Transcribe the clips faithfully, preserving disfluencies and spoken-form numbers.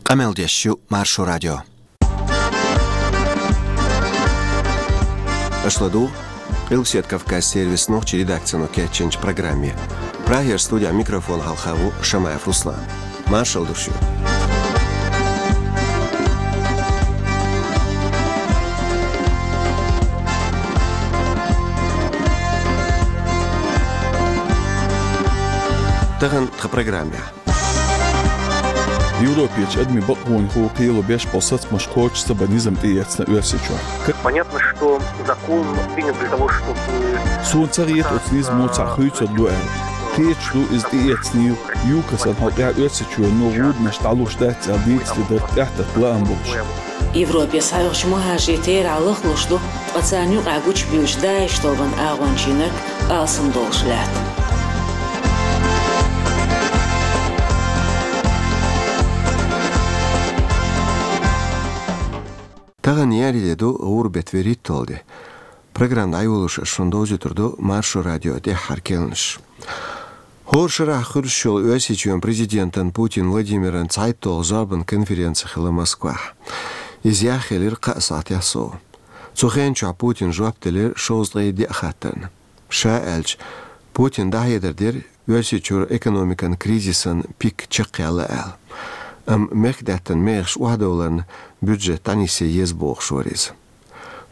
Къамел деш ю Маршо радио. Аша ладугӀу Къилбаседа Кавказ сервисан нохчийн редакцино кечйинчу программе. Прагера студехь микрофон хьалха ву Шамаев Руслан. Маршалла ду шуьга. Тахана тхан программехь. Европерчу адамийн бакъонех кхело беш болу сацамаш кхочуш ца бан низам тӀеэцна Оьрсийчохь. Понятно, что закон принят для того, чтобы... Суна ца хета оцу низамо цхьаъ хуьйцур ду аьлла. Кхеташ ду иза тӀеэцний, ЮКОС-ан хьокъехь Оьрсийчоьно гӀуданаш дӀалуш дац аьлла дийцаре дара тӀаьхьатетта лаам болуш. Европе схьаоьхучу мухӀажирийн терахь лахлуш ду, ткъа царна юкъахь гучубевллачу ДАИШ тобанан агӀончийнарг алсамдолуш лаьтта. Тахана еарин де ду, гӀуран беттан вуьрхӀитталгӀа де. Программа дӀайолош аса шуна довзуьйтур ду Маршо радион тӀаьххьара керланаш. ХӀора шарахь хуьлуш йолу Оьрсийчоьнан президентан Путин Владимиран цхьайтталгӀа зорбанан конференци хилла Москвахь. Иза яхъелира кхаа сахьтехь сов. Цу хенан чохь Путина жоп делира шовзткъе диъ хаттарна. Ша аьлча, Путина дӀахьедар дира Оьрсийчуьра экономикан кризисан пик чекхъяьлла аьлла. Амма мехкдаьттан мехаш охьадовларна бюджет дӀанисъян еза бохуш вара иза.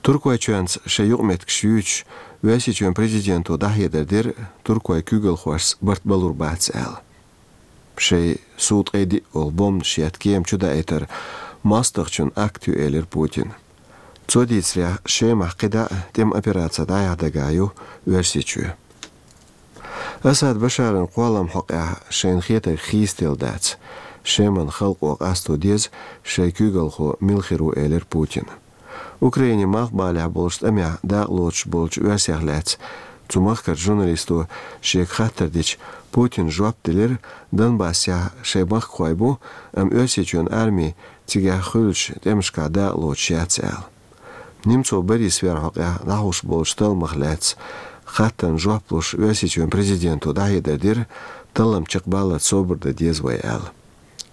Туркойчоьнца шайн юкъаметтигаш юьйцуш, Оьрсийчоьнан президенто дӀахьедар дира туркойн куьйгалхошца барт балур бац аьлла. Шайн сов ткъе диъ олу бомбанаш етта кема чудаийтар мостагӀчун акт ю, элира Путина. Цо дийцарехь, Шемахь кхидӀа а тӀеман операци дӀаяхьа дагахь ю Оьрсийчоь. Асад Башаран кхолламан хьокъехь шайна хетарг хийцаделла дац, Шеман халкъо къасто деза, шайн куьйгалхо мила хир ву, элира Путина. Украинин малхбалехь болчу тӀамехь дакъалоцуш болчу оьрсех лаьцна цу махкарчу журналисто шега хаттар дича, Путина жоп делира, Донбассехь шайн махкахой бу, амма Оьрсийчоьнан арми цигахь хуьлучу тӀемашкахь дакъалоцуш яц аьлла. Немцов Борис вер хьокъехь дӀахьуш болчу талламах лаьцна хаттарна жоп луш, Оьрсийчоьнан президенто дӀахьедар дира, таллам чекхбаллалц собар дан деза вай аьлла.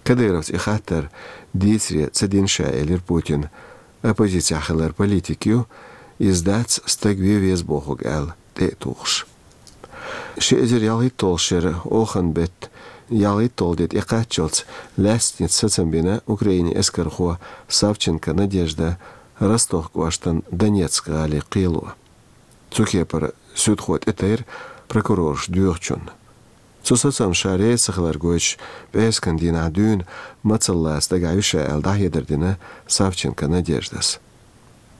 Кадыровс и хаттар дийцаре ца дина ша, элира Путина. Оппозицехь хилар политика ю, иза дац стаг вен веза бохург аьлла, тӀе а тухуш. Ши эзар ялхитталгӀа шеран охан беттан ялхитталгӀа де тӀекхаччалц лаьцнаца сацам бина Украинин эскархо Савченко Надежда Ростов кӀоштан Донецк гӀалин кхело. Цу кепара суьдхо тӀетайра прокурораш доьхучунна. Цу сацамна ша реза ца хилар гойтуш, пӀераскан дийнахь дуьйна мацаллаца дагахь ю ша аьлла, дӀахьедар дина Савченко Надеждас.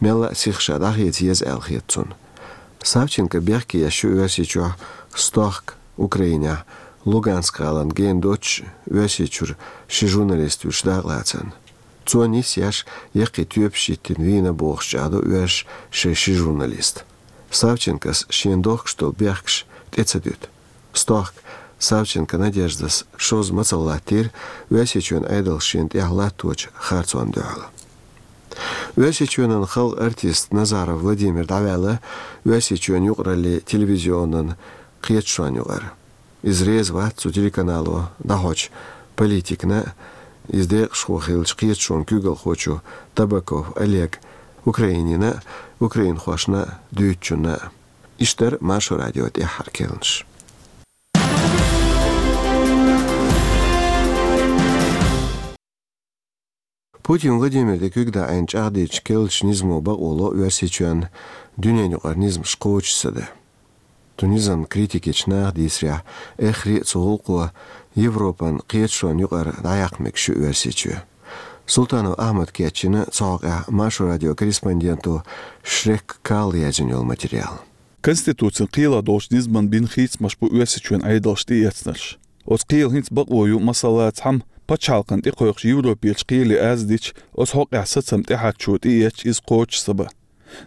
Мелла а сиха ша дӀахеца еза аьлла хета цунна. Савченко бехке еш ю Оьрсийчохь, Стохк, Украинехь, Луганск гӀалин гена доцуш, Оьрсийчуьра ши журналист вуьйш дакъалацарна. Цо нисъеш, яккхий тоьпаш йиттина вийна бохуш чӀагӀдо оьрсаша шайн ши журналист. Савченкос шена дохкуш долу бехкаш тӀе ца дуьту. Стохк Савченко Надеждас шозза мацалла латтийра, Оьрсийчоьнан Ӏедалша шена тӀехь латточу харцонна дуьхьал. Оьрсийчоьнан халкъан артист Назаров Владимир дӀаваьлла Оьрсийчоьнан юкъараллин телевизионан кхеташонна юкъара. Иза реза вац цу телеканало дӀахьочу политикана а, иза декъашхо хиллачу кхеташонан куьйгалхочо Табаков Олега, Украинина а, украинхошна а дуьйцучунна а. Иштта дара Маршо радион тӀаьххьара керланаш. Путин Владимира тӀе куьг даьӀна чӀагӀдича, керлачу низамо бакъо ло Оьрсийчоьнна дуьненан юкъара низамаш кхочуш ца дан. Цу низамна критика ечу наха дийцарехь, эххар а цу гӀуллакхо Европан кхеташонна юкъара дӀаяккха мегаш ю Оьрсийчоь. Султанов Ахьмада кечйина цу хьокъехь Маршо радион корреспонденто Шрек Карла яздина йолу материал. Конституцин кхелахь долчу низамна бина хийцамаш бу Оьрсийчоьнан Ӏедалша тӀеэцнарш. Оцу кхелан хӀинца бакъо ю, масала, цхьамма пачхьалкхана тӀекхойкхуш Европерчу кхеле аз дича, оцу хьокъехь сацам тӀехьарчо тӀеэцча, иза кхочуш ца бан.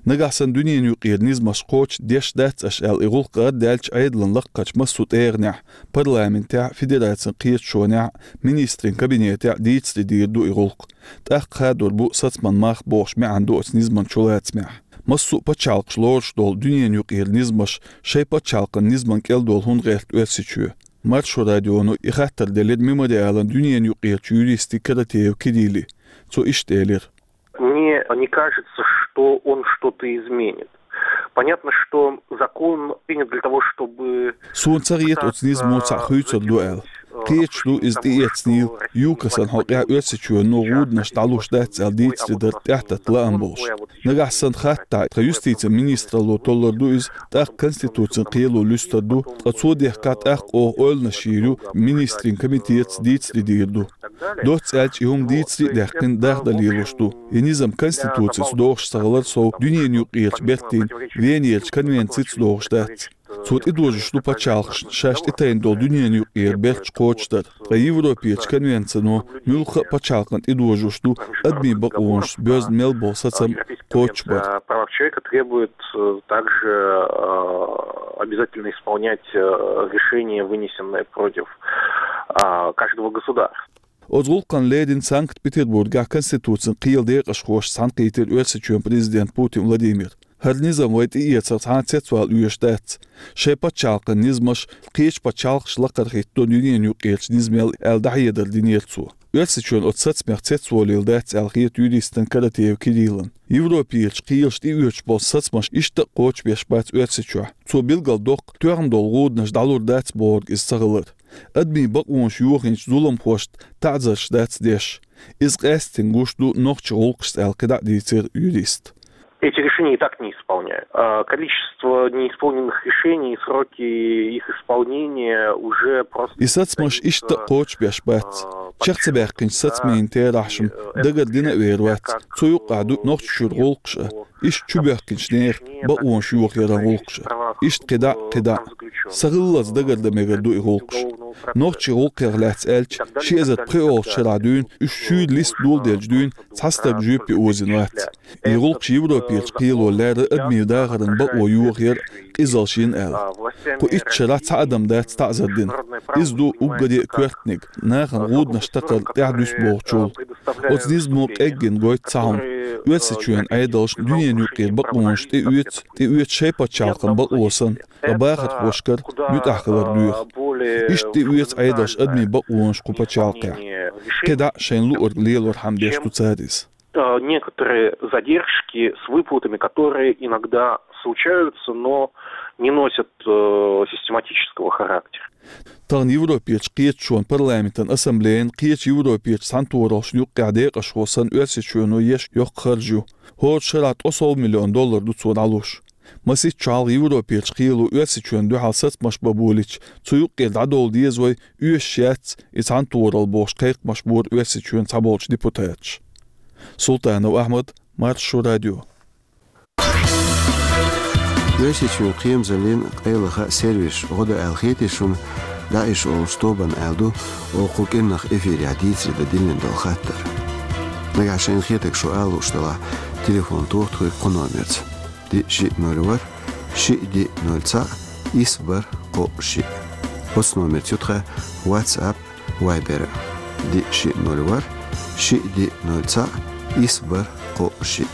Нагахь санна дуьненан юкъара низамаш кхочуш деш дац аша аьлла, и гӀуллакх ардаьлча, Ӏедалан лакхарчу массо а тӀегӀанехь, парламентехь, федерацин кхеташонехь, министрийн кабинетехь дийцаре дийр ду и гӀуллакх. ТӀаккха хадор бу сацаман мах бохуш маьӀна ду оцу низаман чулацамехь. Массо а пачхьалкхаш лоруш долу дуьненан юкъара низамаш шайн пачхьалкхан низаман кӀел долу хӀунда гӀерта Оьрсийчоь? Маршо радионо и хаттар делира Мемориалан дуьненаюкъерчу юристе Каратеев Кирилле. Цо иштта элира: Мне не кажется, что он что-то изменит. Понятно, что закон принят для того, чтобы... Суна ца хета оцу низамо цхьаъ хуьйцур ду аьлла. Кхеташ ду иза тӀеэцнийла, ЮКОС-ан хьокъехь Оьрсийчоьно гӀуданаш дӀалуш дац аьлла дийцаре дар тӀаьхьататта лаам болуш. Нагахь санна хаттахь, тхан юстицин министралло толлур ду иза, тӀаккха Конституцин кхело луьстур ду, ткъа цо дехкахь тӀаккха оха ойланаш йийр ю, министрийн комитетаца дийцаре дийр ду. Доцца аьлча, и хӀума дийцаре а даьккхина, даха дан лелош ду. И низам Конституцица догӀуш ца хилар сов, дуьненаюкъерчу бертийн Венерчу конвенцица догӀуш дац. Цо тӀедожош ду пачхьалкхашна шаьш тӀетайна долу дуьненаюкъера берташ кхочушдар, ткъа Европерчу конвенцино муьлхха а пачхьалкхана тӀедожош ду адамийн бакъонаш боьзна мел болу сацам кхочушбар. Правах человека требует, э, также, э, обязательно исполнять, э, решения, вынесенные против, а, каждого государства. Оцу гӀуллакхна леррина Санкт-Петербургехь Конституцин кхелан декъашхошца цхьаьнакхийтира Оьрсийчоьнан президент Путин Владимир. ХӀара низам вай тӀеэцарх цхьа а цецвала оьшуш дац. Шайн пачхьалкхан низамаш кхечу пачхьалкхаша лакхара хӀитто дуьненаюкъерчу низамел аьлла дӀахьедар динера цо. Оьрсийчоьнан оцу сацамех цецвалийла дац аьлла хета юристана Каратеев Кириллана. Европерчу кхелаша тӀеоьцуш болу сацамаш иштта а кхочушбеш бац Оьрсийчохь. Цо билгалдоккху, тоьхна долу гӀуданаш дӀалур дац бохург иза ца хилар. Адамийн бакъонаш йохийначу зуламхошна таӀзарш дац деш. Иза къаьсттина гуш ду нохчийн гӀуллакхашца аьлла кхидӀа а дийцира юриста. Эти решения и так не исполняют. А количество неисполненных решений и сроки их исполнения уже просто... И сацамаш иштта а кхочушбеш бац. Чекх ца баьккхинчу сацамийн терахьаш-м дагардина а вер вац. Цу юккъехь ду Нохчийчуьра гӀуллакхаш а, иштта чубоьхкинчу нехан бакъонаш йохаяран гӀуллакхаш а. Иштта кхидӀа а, кхидӀа а. Са хиллалц дагардан мегар ду и гӀуллакхаш. Нохчийн гӀуллакхех лаьцна аьлча, ши эзар пхоьалгӀачу шарахь дуьйна уьш шуьйра листа доладелча дуьйна цхьа стаг жоьпе озийна вац. И гӀуллакхаш Европерчу кхело лаьрра адамийн дахаран бакъо йохаяр къизалш йина аьлла. Кху итт шарахь цхьа адам дац таӀзар дина. Иза ду уггаре а коьртаниг, нахана гӀуданаш такхар тӀаьхьадуьсу бохучул. Оцу низамо къеггина гойту цхьа хӀума: Оьрсийчоьнан Ӏедалшна дуьненаюкъера бакъонаш тӀеоьцу, тӀеоьцу шайн пачхьалкхан бакъо санна, ткъа бахархошкара муьтӀахь хилар доьху. Иштта тӀеоьцу Ӏедалша адамийн бакъонаш кху пачхьалкхехь. КхидӀа а шайна луург лелорхьама деш ду цара иза. Э, некоторые задержки с выплатами, которые иногда случаются, но не носят, э, систематического характера. Тахана Европерчу кхеташонан парламентан ассамблеян кхечу Европерчу цхьаьнатохараллашна юккъехь декъашхо санна Оьрсийчоьно еш йоккха харж ю. ХӀора шарахь ткъе сов миллион доллар ду цо дӀалуш. Масийтта шо хьалха Европерчу кхело Оьрсийчоьнна дуьхьал сацамаш бан болийча, цу юккъера дӀадовла деза вай, оьшуш яц и цхьаьнатохаралла бохуш кхайкхамаш бора Оьрсийчоьнан цхьаболчу депутаташа. Султанов Ахьмад, Маршо радио. Оьрсийчоьнан кхерамазаллин къайлаха сервисаш гӀо до аьлла хетий шуна, ДАИШ олучу тобанна аьлла ду, оха кху кӀиранах эфирехь дийцаре дан диллина долу хаттар. Нагахь шайна хетарг шу ала лууш делахь, телефон тоха тхоьга кху номерца: диъ шиъ ноль ворхӀ, шиъ диъ ноль цхьаъ, исс бархӀ кхоъ шиъ. Оцу номерца ю тхан WhatsApp, Viber. Диъ шиъ ноль ворхӀ, шиъ диъ ноль цхьаъ, исс бархӀ кхоъ шиъ.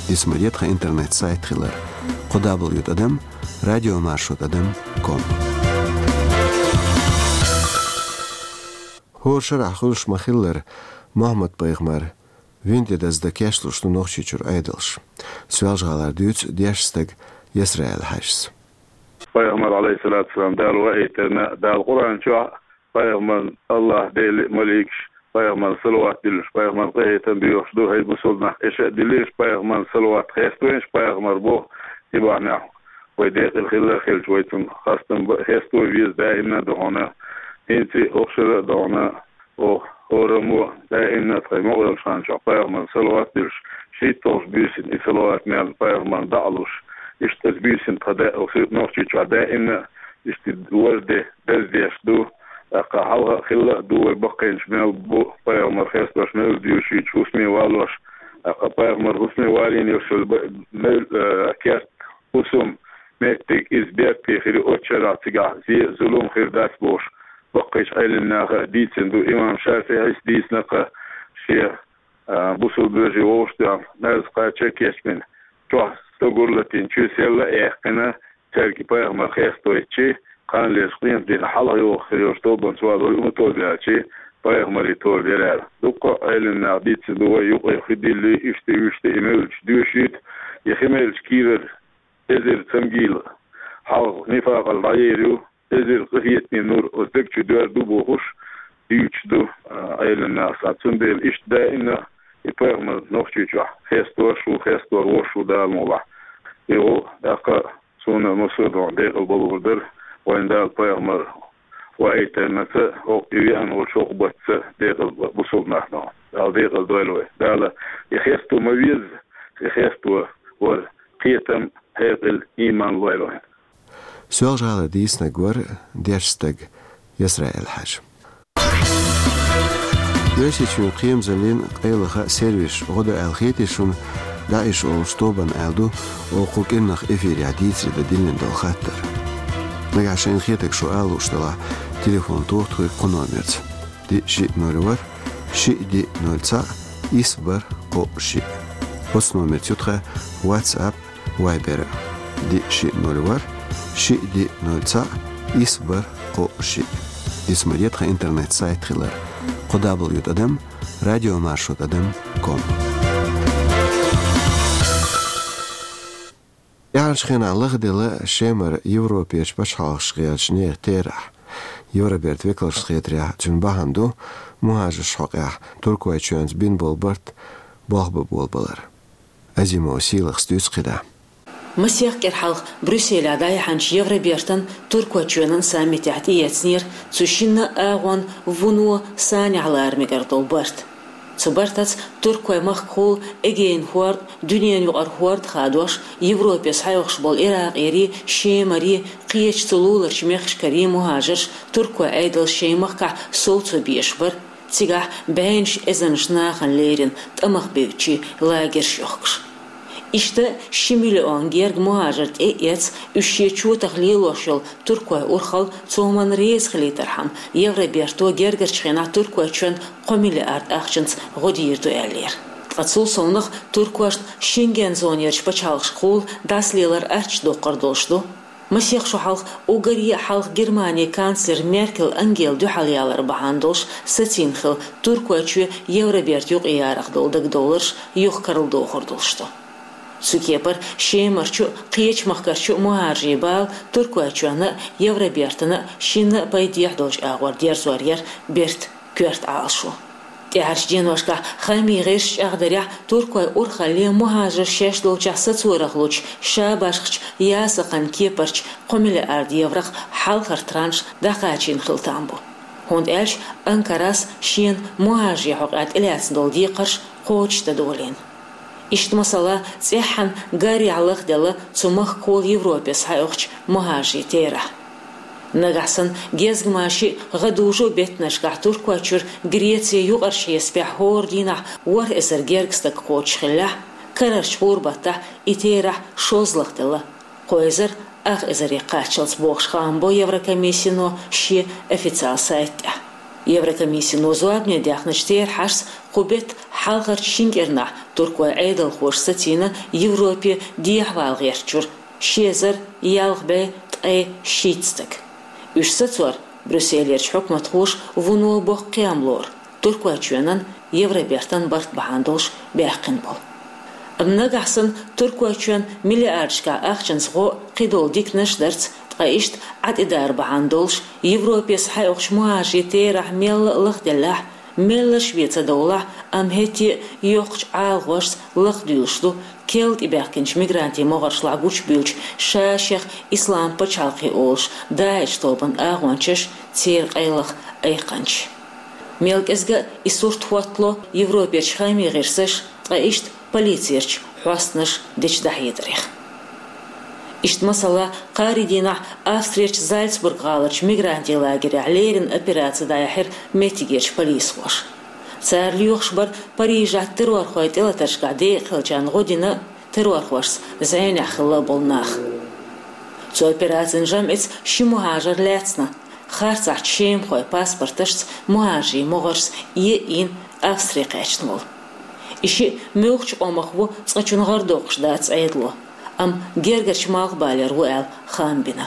Диц ма де тхан интернет-сайт хилар: кхо дабл ю тӀадам радиомаршо тӀадам ком. ХӀора шарахь хуьлуш ма-хиллара, Мухьаммад-пайхамар вина тӀе даздан кечлуш ду Нохчийчуьра Ӏедалш. Соьлжа-ГӀалара дуьйцу дешна стага Ясраил-Хьаьжас. Пайхамар, Ӏалайхиссалату вассалам, Дала ваийтарна, Дала Къуръан чохь пайхамарна АллахӀ, Дела, маликаш пайхамарна салават диллуш, пайхамарна къинхетам боьхуш ду, хӀай бусалба нах, эша а диллийша пайхамарна салават, хеставайша пайхамар боху, и бахьанехь вай декъала хилла а хилча, вай цунна хастам бан, хеставан веза даимна а ду хьуна, хӀинца а, хӀокху шарахь а ду хьуна. Оха хӀораммо даимна тхайн мукъалчу ханчохь пайхамарна салават диллуш, шийтталгӀачу буьйсанна и салават мел пайхамарна дӀа а луш, иштта оцу буьйсанна тхан да-, оха Нохчийчохь даимна а иштта важде, даздеш ду. ТӀаккха хьалха а хилла а ду, вай баккхийнаш мел бу пайхамар хестош, мел доьшуьйтуш, хӀусаме валош. ТӀаккха пайхамар хӀусаме валийна йолуш йолу ба-, мел, э, керт хӀусам, меттиг, иза бертте хир ю, оцу шарахь цигахь зе а, зулам хир дац бохуш, баккхийчу Ӏелам наха а дийцина ду. Имам ШафиӀис дийцина-кх шен, а, бусалба вежарий вовшахтоьхна, марза кхача а кечбина, чохь стогар латийна, чоь сел а яьккхина, цаьрга пайхамар хестойтича, Кхана леш къематдийнахь хьалха йогӀуш хир йолчу тобанца валар вай, хӀун тоба аьлча, пайхамарийн тоба яр аьлла. Дуккха а Ӏелам наха дийцина ду вай, юкъе хи дилли, иштта, вуьшта, и мевллачу доьшийта, и хи меллачу кийрара эзар цамгийла хьалха нифакъал дӀаер ю, эзар къинхетаме нур оцу дег чу доьрзур ду бохуш, дуьйцуш ду, а, Ӏелам наха санна. Цундела иштта даимна и пайхамар Нохчийчохь хестош ву, хестор волуш ву, Дала мукъ лахь. И ву, тӀаккха суна массо а декъала балур дара, вайн Дала пайхамар ваийтинарца, хӀокху и веана волчу хӀокху баттаца декъала бусулба нах доху. Дала декъала дойла вай. Дала и хесто ма везза, и хесто вара кхетам, хьекъал, ийман лойла вайн. Соьлжа-ГӀалара дийцинарг вара дешна стаг Исраил-Хьаьжа. Оьрсийчоьнан кхерамзаллин къайлаха сервисаш гӀо до аьлла хетий шуна, ДАИШ олучу тобанна аьлла ду, оха кху кӀиранах эфирехь дийцаре дан диллина долу хаттар. Нагахь шайна хетарг шу ала лууш делахь, телефон тоха тхоьга кху номерца: диъ шиъ ноль ворхӀ, шиъ диъ ноль цхьаъ, исс бархӀ кхоъ шиъ. Оцу номерца ю тхан WhatsApp, Viber: диъ шиъ ноль ворхӀ, шиъ диъ ноль цхьаъ, исс бархӀ кхоъ шиъ. Диц ма де тхан интернет-сайт хилар: кхо дабл ю тӀадам радиомаршо тӀадам ком. ТӀаьхьарчу хенахь лахделла Шемара Европерчу пачхьалкхашка гӀертачу нехан терахь. Евробертан векалшна хетарехь, цуьнан бахьана ду мухӀажаршна хьокъехь Туркойчоьнца бина болу барт болх бан болабалар. Азимова Сийлахас дуьйцу кхидӀа. Масех кӀира хьалха Брюсселехь дӀаяьхьначу Евробертан, Туркойчоьнан саммитехь тӀеэцнера цу шинна а агӀонна вуно санехь лара мегар долу барт. Цу бартаца Туркойн махкахула Эгейн хӀорд, дуьненан юкъара хӀорд хадош, Европе схьайогӀуш болу Иракъерий, Шемарий, кхечу цу луларчу мехкашкарий мухӀажарш Туркойн Ӏедалша шайн махкахь совцо безаш бара, цигахь бӀеннаш эзарнаш нахана лерина тӀамах бевддачийн лагерш йохкуш. Иштта ши миллион герга мухӀажар тӀе а эцна, уьш шен чотах лелош йолу туркойн урхалла цу хӀуманна реза хилийтархьама, Евроберто гергарчу хенахь Туркойчоьнна кхо миллиард ахчанца гӀо дийр ду аьллера. Ткъа цул совнаха туркошна Шенген зонерчу пачхьалкхашкахула дӀасалелар аттачу доккхур долуш ду. Масех шо хьалха уггаре а хьалха Германин канцлер Меркель Ангела дуьхьал ялар бахьана долуш сацийна хилла Туркойчоь Евроберта юкъаярах долу дагадовларш юха карладохур долуш ду. Цу кепара Шемарчу а, кхечу махкарчу а мухӀажарийн бала Туркойчоьнна а, Евробертана а шинна а пайдехьа долчу агӀор дерзор яра бертан коьрта Ӏалашо. ТӀаьхьарчу деношкахь хаамийн гӀирсаша чӀагӀдарехь, туркойн урхалле мухӀажарш шаьш долчохь сацорах лучу шабашхачу ясакхан кепарчу кхо миллиард еврох хьалхара транш дӀакхачийна хила там бу. ХӀунда аьлча Анкарас шена мухӀажарийн хьокъехь тӀелаьцна долу декхарш кхочушдан долийна. Иштта, масала, цӀеххьана гарехь лахделла цу махкахула Европе схьайогӀучу мухӀажарийн терахь. Нагахь санна гезгмашин а, гӀадужу а беттанашкахь Туркойчуьра Греце юкъарчу хьесапехь хӀора дийнахь ворхӀ эзар герга стаг кхочуш хиллехь, карарчу гӀуран баттахь и терахь шозза лахделла, кхо эзар ах эзаре кхаччалц, бохуш хаам бо Еврокомиссино шен официал сайта тӀехь. Еврокомиссино зорбане даьхначу терахьашца кху беттан хьалхарчу шина кӀирнахь туркойн Ӏедалхоша сацийна Европе дехьавала гӀертачуьра ши эзар ялх бӀе ткъе шийтта стаг. Уьш сацор Брюсселерчу хьукматхоша вуно боккха кхиам лору, Туркойчоьнан Евробертан барт бахьана долуш баьккхина болу. Амма нагахь санна Туркойчоьнна миллиардашкахь ахчанца гӀо кхидолу диканаш дарца, ткъа иштта Ӏадитар бахьана долуш Европе схьайогӀучу мухӀажарийн терахь мелла а лахделлехь, меллаша вен ца довлахь, амма хӀетте а йоккхачу ӀалагӀошца лакхадуьйлуш ду керла тӀебаьхкинчу мигрантийн могӀаршлахь гучубуьйлучу ша-шех Ислам пачхьалкхе олуш ДАИШ тобанан агӀончаш, церан къайлаха айкханчаш. Мел кӀезга а и сурт хӀоттало Европерчу хаамийн гӀирсаша, ткъа иштта полицерчу хьостанаша дечу дӀахьедарех. Иштта, масала, кхаарин дийнахь Австрерчу Зальцбург-гӀаларчу мигрантийн лагерехь леррина операци дӀаяьхьира меттигерчу полисхоша. Цара лоьхуш бара Парижехь террорхойн тӀелатаршкахь декъахь хиллачарна гӀо дина а, террорхошца зӀенехь хилла а болу нах. Цу операцин жамӀица ши мухӀажар лаьцна, харцахьчу шемахойн паспорташца мухӀажарийн могӀаршца ийна Австри кхаьчна волу. И шиъ муьлххачу къомах ву, цкъачунна гӀар доккхуш дац Ӏедало, амма гергарчу малхбалера ву аьлла хаам бина.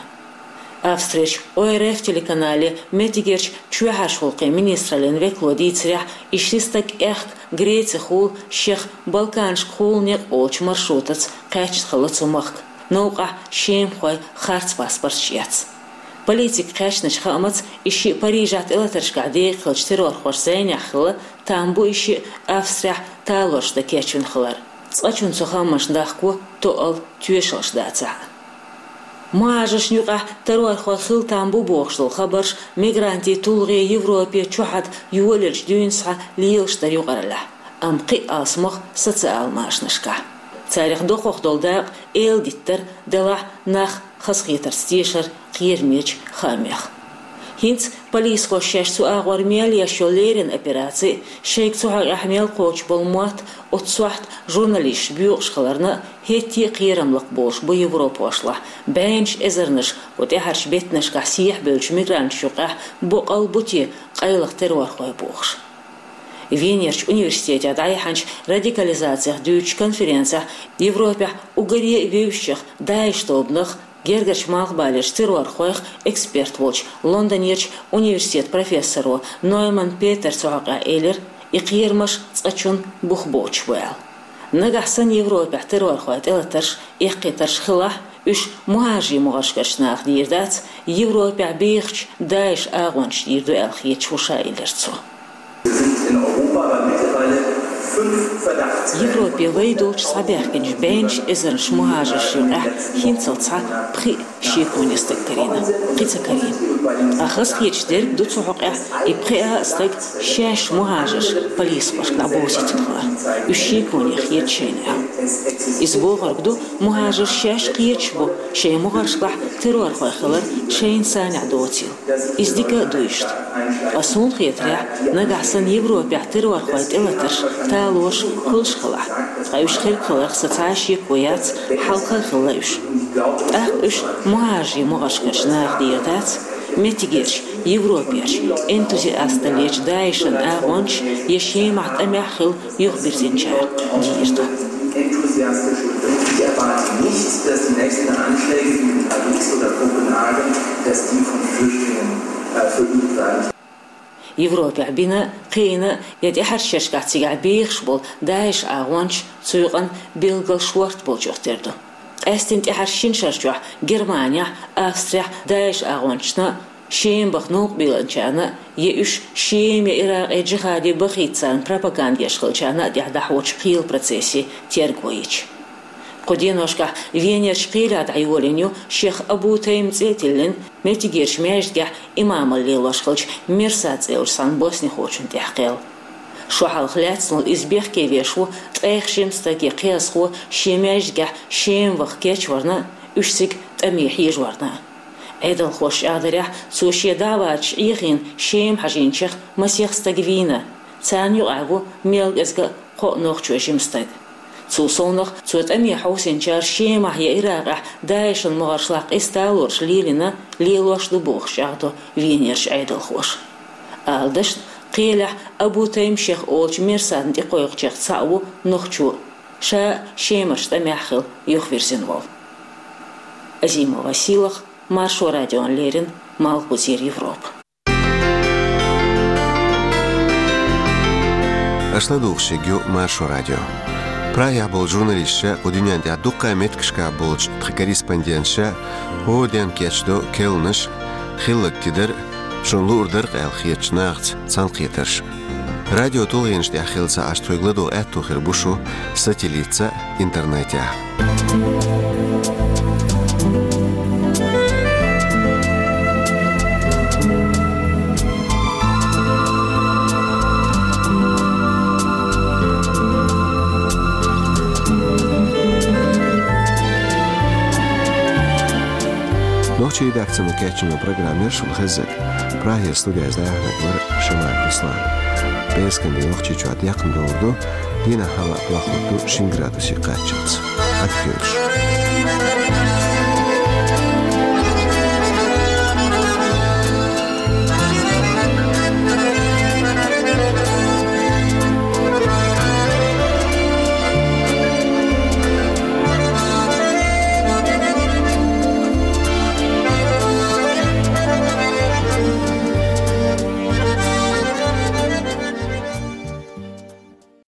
Австрерчу О Р Ф телеканале меттигерчу чоьхьарчу гӀуллакхийн министраллин векало дийцарехь, и ши стаг аьхка Грецехула шех Балканашкахула некъ олучу маршрутаца кхаьчна хилла цу махка, новкъахь шемахойн харц паспорташ эцна. Полицин кхаьчначу хаамца, и шиъ Парижехь тӀелатаршкахь декъахь хиллачу террорхошна зӀенехь хилла, там бу и шиъ Австрехь талораш дан кечвина хилар. Цкъачунна цу хаамашна дахко тоъал тоьшаллаш дацахь а. Мухьажаршна юкъахь террорхой хилла там бу бохуш долу хабарш мигрантийн тулгӀе Европе чохь йолаеллачу дуьйна схьа лелаш дара юкъараллехь, амма кхин а алсамох социал машанашкахь. Царах доккхах долу дакъа эладиттар делахь, нах хазахетарца тешар кхерамечу хаамех. ХӀинца полисхоша шаьш цу агӀор мел еш йолу леррина операци, шайга цу хьокъехь мел кхочуш болу мотт, оцу сохьта журналисташ боькъуш хиларна, хӀетте а кхерам лакхаболуш бу европахошлахь, бӀеннаш эзарнаш кху тӀаьхьарчу беттанашкахь сехьабевллачу мигранташна юкъахь боккъал бу те къайлаха террорхой бохуш. Венерчу университетехь дӀаяьхьначу радикализацих дуьйцучу конференцехь Европехь уггаре а вевзачех ДАИШ тобанах, гергарчу малхбалерчу террорхойх эксперт волчу Лондонерчу университетан профессоро Нойман Петера цу хьокъехь элира, и кхерамаш цкъачунна бух боцуш бу аьлла. Нагахь санна Европехь террорхойн тӀелатарш, эккхийтарш хилахь, уьш мухьажарийн могӀаршкарчу наха дийр дац, Европехь бехачу ДАИШ агӀончашна дийр ду аьлла хеташ ву ша, элира цо. Европе вай долчу схьабаьхкинчу бӀеннаш эзарнаш мухьажаршна юкъахь хӀинццалц схьа пхиъ шеконе стаг карийна, кхин ца карийна. Ткъа хазахеташ дерг ду цу хьокъехь, и пхиъ а стаг шаьш мухьажарш полисхошка дӀабовзийтина хилар. Уьш шеконе хета шайна аьлла. Иза бохург ду, мухьажарш шаьш кхеташ бу шайн могӀаршкахь террорхой хилар шайна санехь доцийла. Иза дика а ду иштта. Ткъа суна хетарехь, нагахь санна Европехь террорхойн тӀелатарш, талораш хуьлуш хилахь, ткъа уьш хирг хиларх сан цхьа а шеко яц, хьалха а хилла уьш. ТӀаккха уьш мухьажарийн могӀаршкарчу наха дийр дац, меттигерчу Европерчу энтузиасталлечу ДАИШан агӀончаша я Шемахь тӀамехь хилла юхабирзинчара дийр ду. Enthusiastisch und ich erwarte nicht, dass die nächsten Anschläge wie in Paris oder Kopenhagen, dass die von Flüchtlingen, äh, verübt werden. Европехь бина, кхиийна я тӀаьхьарчу шерашкахь цигахь бехаш болу ДАИШ агӀончаш, цу юкъана билггал шорта болчух тера ду. Къаьсттина тӀаьхьарчу шина шарчохь Германехь, Австрехь ДАИШ агӀончашна, Шема баха новкъа бийлинчарна я уьш Шема я Иракъе джихаде бахийта царна пропаганда еш хиллачарна а тӀехь дӀахьочу кхелан процессийн терго йича. Кху деношкахь Венерчу кхелехь дӀайолийна ю шех Абу Тайм цӀе а тиллина, меттигерчу маьждигехь имамалла лелош хиллачу Мерсад цӀе йолчу цхьана боснихочунна тӀехь кхел. Шо хьалха лаьцна волу иза бехке веш ву ткъех жима стаг я кхиазхо шен маьждигехь Шема ваха кечварна а, уьш цига тӀаме хьежаварна а. Ӏедалхоша чӀагӀдарехь, цо шен даӀваташ Ӏехийна Шема хьажийначех масех стаг вийна, царна юкъахь ву мел кӀезга а кхоъ нохчо жима стаг. Цул совнах, цо тӀаме хьовсийначара Шемахь я Иракъехь ДАИШан могӀаршлахь къиза талораш лелийна, лелош ду бохуш чӀагӀдо Венерчу Ӏедалхоша. Ала дашна, кхелехь Абу Тайм шех олучу Мерсадна тӀекхойкхучех цхьаъ ву нохчо, ша Шемарчу тӀамехь хилла юхавирзина волу. Азимова Сийлаха, Маршо радиона леррина, Малхбузера Европа. Аша ладугӀуш ерг ю Маршо радио. Прагехь болчу журналисташа, кху дуьнен тӀехь дуккха а меттигашкахь болчу тхан корреспонденташа хӀора дийнахь кечдо керланаш, хилларг тидар, шуна луур дара-кх аьлла хетачу нахаца цхьаьнакхетарш. Радио тулгӀенаш тӀехь хилла ца Ӏаш, тхоьга ладогӀа аьтто хир бу шу сателлитца а, интернетехь а. Нохчийн редакцино кечйина программа яра шуна хезнарг. Прагера студехь дӀаяьхьнарг вара Шамаев Руслан. ПӀераскан де Нохчийчохь декхна довр ду, дийнахь хьалха лахлург ду шин градусе кхаччалц. Ӏадика хуьлда шу.